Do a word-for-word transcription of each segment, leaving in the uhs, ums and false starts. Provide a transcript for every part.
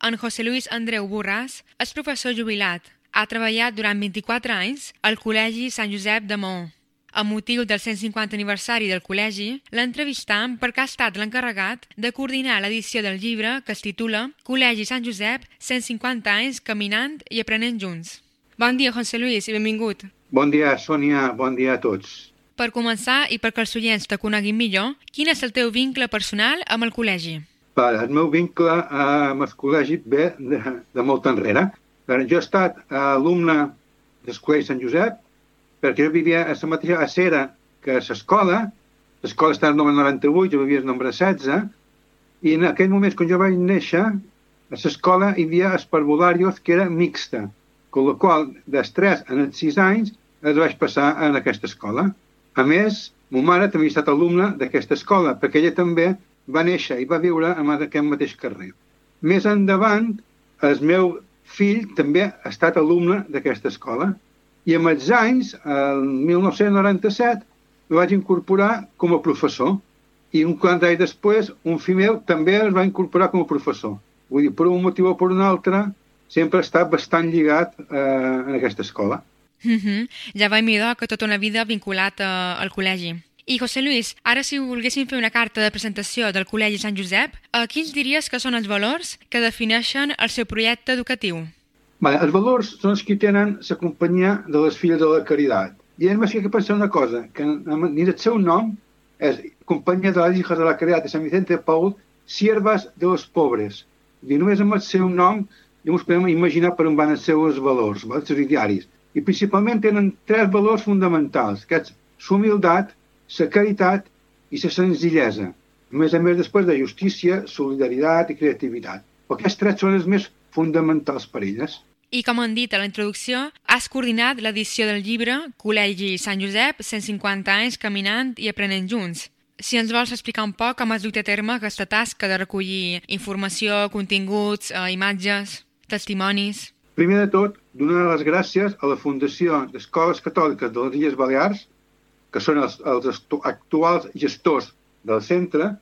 En José Luis Andreu Borràs és professor jubilat. Ha treballat durant vint-i-quatre anys al Col·legi Sant Josep de Maó. Amb motiu del cent cinquanta aniversari del col·legi, l'entrevistam perquè ha estat l'encarregat de coordinar l'edició del llibre que es titula Col·legi Sant Josep, cent cinquanta anys caminant i aprenent junts. Bon dia, José Luis, i benvingut. Bon dia, Sònia, bon dia a tots. Per començar, i perquè els oients te coneguin millor, quin és el teu vincle personal amb el col·legi? El meu vincle amb el col·legi ve de, de molt enrere. Jo he estat alumne del Col·legi Sant Josep perquè jo vivia a la mateixa acera que l'escola. L'escola està al número noranta-vuit, jo vivia al número setze, i en aquell moment, quan jo vaig néixer, a l'escola hi havia els parvularios que era mixta, amb la qual dels tres als sis anys es vaig passar en aquesta escola. A més, ma mare també ha estat alumna d'aquesta escola, perquè ella també va néixer i va viure en aquest mateix carrer. Més endavant, el meu fill també ha estat alumne d'aquesta escola. I amb els anys, el mil nou-cents noranta-set, el vaig incorporar com a professor. I un quant anys després, un fill meu també es va incorporar com a professor. Vull dir, per un motiu o per un altre, sempre ha estat bastant lligat eh, en aquesta escola. Mm-hmm. Ja vaig mirar que tota una vida vinculat eh, al col·legi. I, José Luis, ara si volguéssim fer una carta de presentació del Col·legi Sant Josep, eh, quins diries que són els valors que defineixen el seu projecte educatiu? Vale, els valors són els que tenen la companyia de les filles de la caritat. I hem de pensar una cosa, que ni el seu nom és Companyia de les Hijas de la Caridad de Sant Vicente de Paul, siervas de los pobres. I només amb el seu nom ja ens podem imaginar per on van els seus valors, els seus idearis. I principalment tenen tres valors fonamentals, que és la humilitat, la caritat i la senzillesa. A més a més, després de justícia, solidaritat i creativitat. Aquests tres són els més fonamentals per elles. I com han dit a la introducció, has coordinat l'edició del llibre Col·legi Sant Josep, cent cinquanta anys caminant i aprenent junts. Si ens vols explicar un poc com has dut a terme aquesta tasca de recollir informació, continguts, eh, imatges, testimonis... Primer de tot, donar les gràcies a la Fundació d'Escoles Catòliques de les Illes Balears, que són els, els actuals gestors del centre,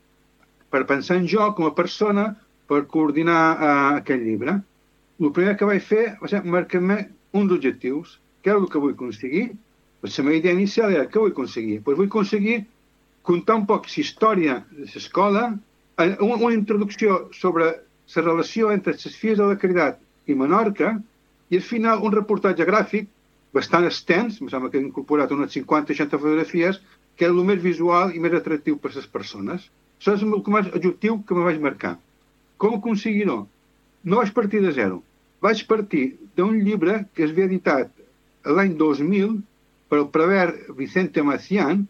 per pensar en jo com a persona per coordinar eh, aquest llibre. El primer que vaig fer va ser marcar-me uns objectius. Què és el que vull aconseguir? Pues la meva idea inicial era què vull aconseguir? Pues vull aconseguir contar un poc la història de l'escola, una introducció sobre la relació entre les filles de la Caritat i Menorca, i al final un reportatge gràfic bastant extens, em sembla que he incorporat unes cinquanta o seixanta fotografies, que era el més visual i més atractiu per a les persones. Això és el més objectiu que me vaig marcar. Com aconseguir-ho? No vaig partir de zero. Vaig partir d'un llibre que es havia editat l'any dos mil per el prevere Vicente Macián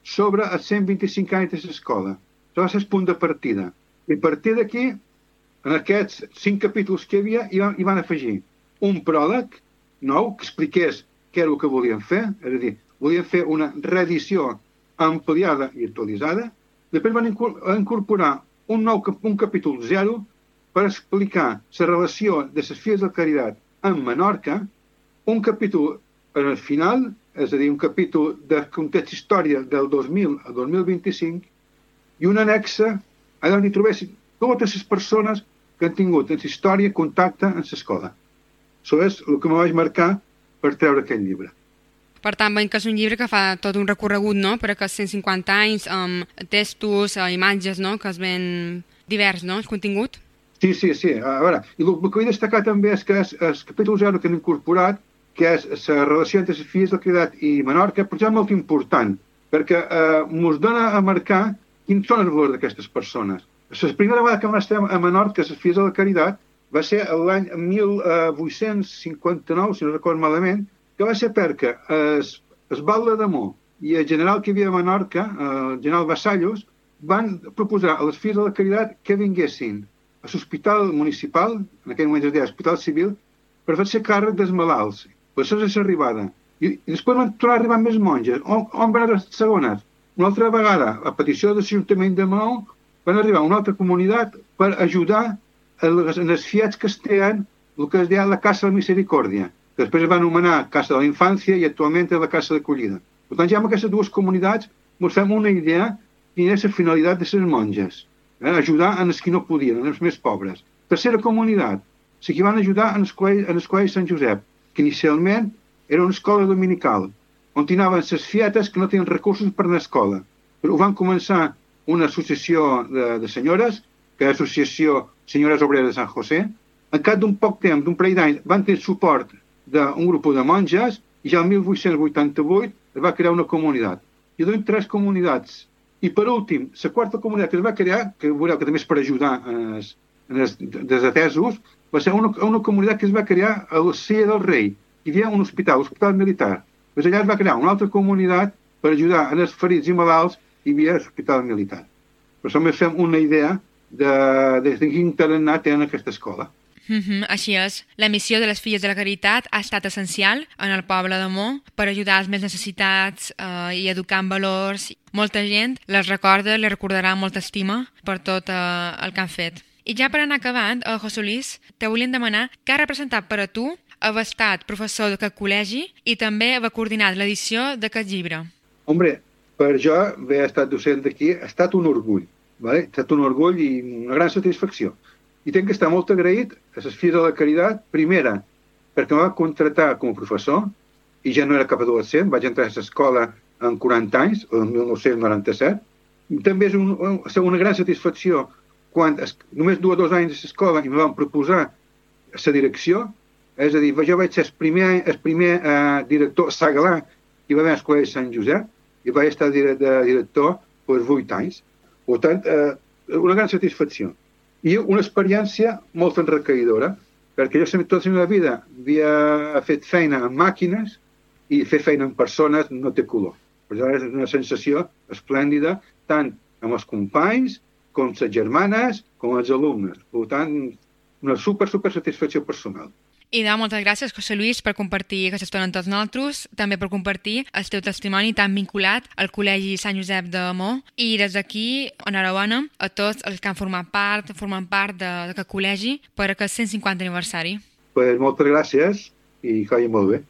sobre els cent vint-i-cinc anys de l'escola. Això va ser el punt de partida. I a partir d'aquí, en aquests cinc capítols que hi havia, hi van, hi van afegir un pròleg nou que expliqués què era el que volien fer, és a dir, volien fer una reedició ampliada i actualitzada. Després van incorporar un nou un capítol zero per explicar la relació de les filles de la Caritat amb Menorca, un capítol en el final, és a dir, un capítol de context història del dos mil al dos mil vint-i-cinc, i una anexa allà on hi trobessin totes les persones que han tingut en la història contacte amb l'escola. Això és el que me vaig marcar per treure aquest llibre. Per tant, veiem que és un llibre que fa tot un recorregut, no?, per aquests cent cinquanta anys, amb textos, imatges, no?, que es ven divers, no?, el contingut. Sí, sí, sí. A veure, i el que vull destacar també és que és el capítol zero que han incorporat, que és la relació entre les filles de la Caritat i Menorca, però és molt important, perquè eh, ens dona a marcar quins són els valors d'aquestes persones. La primera vegada que vam estar a Menorca, les filles de la Caritat, va ser l'any mil vuit-cents cinquanta-nou, si no recordo malament, que va ser perquè el, el Batlle d'Amor i el general que hi havia a Menorca, el general Vassallos, van proposar a les filles de la Caritat que vinguessin a l'hospital municipal, en aquell moment es deia Hospital Civil, per fer-se càrrec dels malalts. Per això és l'arribada. I, I després van tornar a arribar més monges. On, on van anar les segones? Una altra vegada, a petició de l'Ajuntament de Maó, van arribar a una altra comunitat per ajudar els, els fiats que es tenen el que es deia la Casa de la Misericòrdia, que després es va anomenar Casa de la Infància i actualment és la Casa d'Acollida. Per tant, ja amb aquestes dues comunitats ens fem una idea quina és la finalitat de les monges. Eh? Ajudar en els que no podien, en els més pobres. Tercera comunitat, la que van ajudar en el col·legi, en el col·legi Sant Josep, que inicialment era una escola dominical, on anaven les fietes que no tenien recursos per anar a escola. Però van començar una associació de, de senyores, que és l'Associació Senyores Obreres de Sant José. En cap d'un poc temps, d'un parell d'anys, van tenir suport d'un grup de monges i ja el mil vuit-cents vuitanta-vuit es va crear una comunitat. I donen tres comunitats. I per últim, la quarta comunitat que es va crear, que veureu que també és per ajudar en els, en els desatesos, va ser una, una comunitat que es va crear a la Sella del Rei. Hi havia un hospital, l'Hospital Militar. Pues allà es va crear una altra comunitat per ajudar en els ferits i malalts i hi havia l'Hospital Militar. Per això més fem una idea de, de, de quin tarannà tenen aquesta escola. Mm-hmm, així és. La missió de les Filles de la Caritat ha estat essencial en el poble de Mo per ajudar els més necessitats eh, i educar en valors. Molta gent les recorda, les recordarà amb molta estima per tot eh, el que han fet. I ja per anar acabant, eh, José Luis, te volíem demanar què ha representat per a tu haver estat professor d'aquest col·legi i també haver coordinat l'edició d'aquest llibre. Hombre, per jo haver estat docent d'aquí ha estat un orgull, ¿vale? Ha estat un orgull i una gran satisfacció. I tenc que estar molt agraït a les Filles de la Caritat, primera, perquè em va contratar com a professor, i ja no era cap adolescent, vaig entrar a l'escola en quaranta anys, el mil nou-cents noranta-set. I també és un, una gran satisfacció quan es, només dues o dos anys a l'escola i em van proposar la direcció, és a dir, jo vaig ser el primer, el primer eh, director segalà que hi va haver al Col·legi Sant Josep i vaig estar de director per vuit anys. Per tant, eh, una gran satisfacció. I una experiència molt enriquidora, perquè jo sempre tota la meva vida havia fet feina amb màquines i fer feina amb persones no té color. Per això és una sensació esplèndida, tant amb els companys, com les germanes, com els alumnes. Per tant, una super, super satisfacció personal. I de moltes gràcies, José Luis, per compartir aquesta estona amb tots nosaltres, també per compartir el teu testimoni tan vinculat al Col·legi Sant Josep de Mo. I des d'aquí, enhorabona a tots els que han format part, formen part d'aquest col·legi per aquest cent cinquanta aniversari. Pues moltes gràcies i que vagi molt bé.